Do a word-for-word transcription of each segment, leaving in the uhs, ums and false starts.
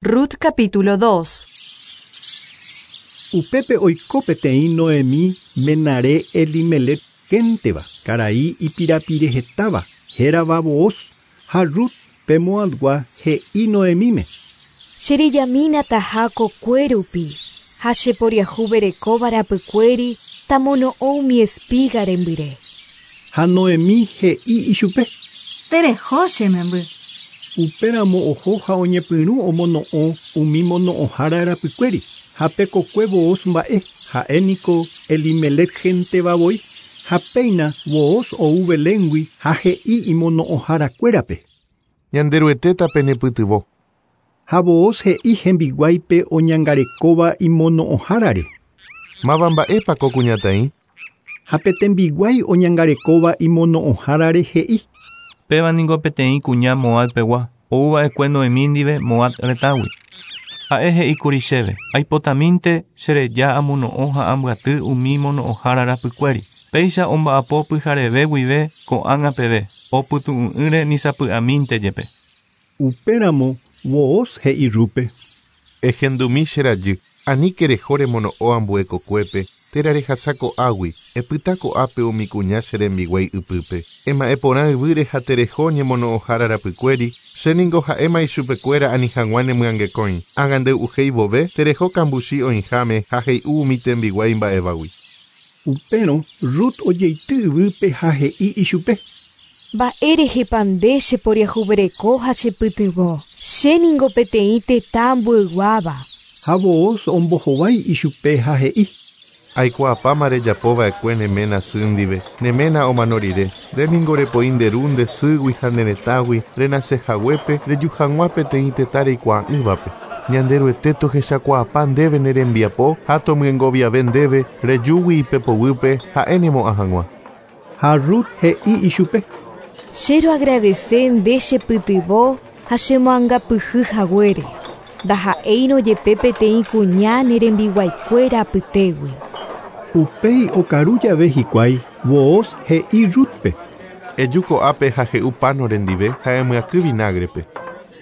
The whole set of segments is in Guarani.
Rut capítulo dos. Upépe oiko peteĩ Noemí menare Elimelec génteva, karai ipirapirehetáva, hérava Booz, ha Rut pe Moabgua he'i Noemíme. Cherejamína taha kokue rupi, ha cheporiahuverekóva rapykuéri tamono'õ umi espiga rembyre. Ha Noemí he'i ichupe. Tereho che memby. Upéramo oho ha oñepyrũ omono'õ umi mono'õhára rapykuéri, ha pe kokue Booz mba'e, ha'éniko Elimelec genteva voi, ha péina Booz ou Beléngui ha he'i imono'õharakuérape. Ñanderuetéta penepytyvõ. Ha Booz he'i hembiguáipe oñangarekóva imono'õhárare. Máva mba'épa ko kuñataĩ? Ha pe tembiguái oñangarekóva imono'õhárare he'i. Péva niko peteĩ kuña Moabpegua, ouva'ekue Noemí ndive Moab retãgui. Ha'e he'íkuri chéve, aipotamínte chereja amono'õ ha ambyaty umi mono'õhára rapykuéri. Péicha omba'apo pyhareve guive ko'ág̃a peve, opytu'u'ỹre ni sapy'amínte jepe. Upéramo Booz he'i Rúpe. Ehendumi che rajy, aníke reho remono'õ ambue kokuépe, térã rehasa ko'águi, epyta ko'ápe umi kuña che rembiguái ypýpe. Ema'ẽporã yvýre ha tereho ñemono'õhára rapykuéri, chéniko ha'éma ichupekuéra ani hag̃ua nemyangekõi. Ág̃a ndey'uhéi vove, tereho kambuchi oĩháme ha hey'u umi tembiguái mba'évagui. Upérõ Rut ojeity yvýpe ha he'i ichupe. Mba'érehepa nde cheporiahuvereko ha chepytyvõ. Chéniko peteĩ tetã ambueyguáva. Ha Booz ombohovái ichupe ha he'i. Aikuaapáma rejapova'ekue ne ména sy ndive, ne ména omano rire. Ndéniko repoi nde ru nde sýgui ha ne retãgui renasehaguépe reju hag̃ua peteĩ tetã reikuaa'ỹvape. Ñanderuete tohechakuaapa ndéve ne rembiapo ha tomyengoviave ndéve rejúgui ipepoguýpe ha'e nemo'ã hag̃ua. Ha Rut he'i ichupe. Che roagradece nde chepytyvõ ha chemoangapyhy haguére. Ndaha'éirõ jepe peteĩ kuña ne rembiguaikuéra apytégui. Upéi okaru jave hikuái Booz he'i Rútpe. Eju ko'ápe ha he'u pano rendive ha emyakỹ vinagrepe.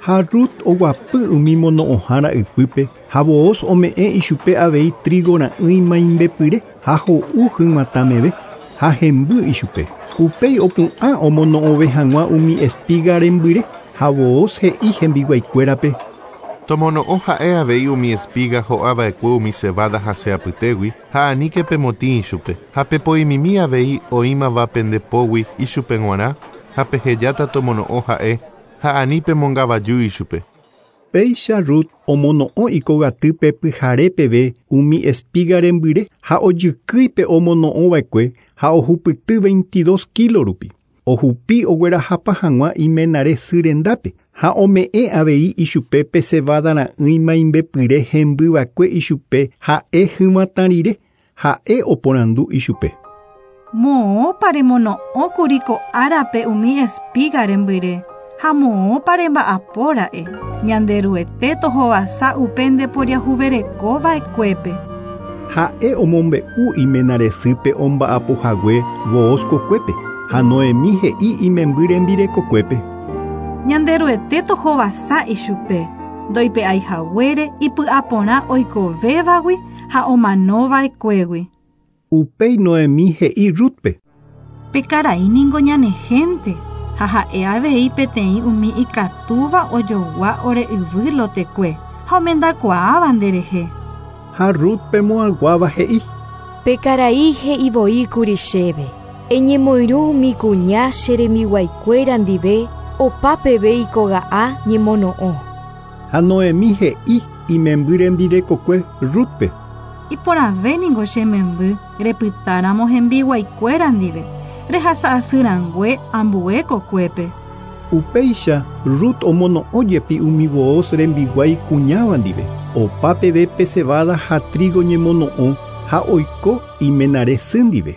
Ha Rut oguapy umi mono'õhára ypýpe ha Booz ome'ẽ ichupe avei trigo ra'ỹi maimbepyre ha ho'u hyg̃uatãmeve ha hemby ichupe. Upéi opu'ã omono'õve hag̃ua umi espiga rembyre ha Booz he'i hembiguaikuérape. Tomono'õ ha'e avei umi espiga ho'ava'ekue umi cebada hasẽ apytégui ha aníke pemotĩ ichupe. Ha pepoimimi avei oĩmava pendepógui ichupe g̃uarã ha pehejáta tomono'õ ha'e ha ani pemongavaju ichupe. Péicha Rut omono'õ ikogatýpe pyhare peve umi espiga rembyre ha ojykýipe omono'õva'ekue ha ohupyty veintidós kilo rupi. Ohupi oguerahapa hag̃ua imenare sy rendápe ha ome'ẽ avei ichupe pe cebada ra'ỹi maimbepyre hembyva'ekue ichupe ha'e hyg̃uatã rire, ha'e oporandu ichupe. Moõpa remono'õkuri ko'árape umi espiga rembyre ha moõpa remba'apóra'e. Ñanderuete tohovasa upe ndeporiahuverekova'ekuépe. Ha'e omombe'u imenare sýpe omba'apohague Booz kokuépe ha Noemí he'i imemby rembirekokuépe. Ñanderuete tohovasa ichupe, ndoipe'aihaguére ipy'aporã oikovévagui ha omanova'ekuégui. Upéi Noemí he'i Rútpe. Pe karai niko ñane gente ha ha'e avei peteĩ umi ikatúva ojogua ore yvy lotekue ha omendakuaáva nderehe. Ha Rut pe Moabguáva he'i. Pe karai he'ivoíkuri chéve. Eñemoirũ umi kuña che rembiguaikuéra ndive opa peve ikoga'a ñemono'õ. Ha Noemí he'i imemby rembirekokue Rútpe. Iporãve niko che memby repytáramo hembiguaikuéra ndive, rehasa'asyrãngue ambue kokuépe. Upéicha Rut omono'õ jepi umi Booz rembiguái kuñáva ndive, opa peve pe cebada ha trigo ñemono'õ ha oiko imenare sy ndive.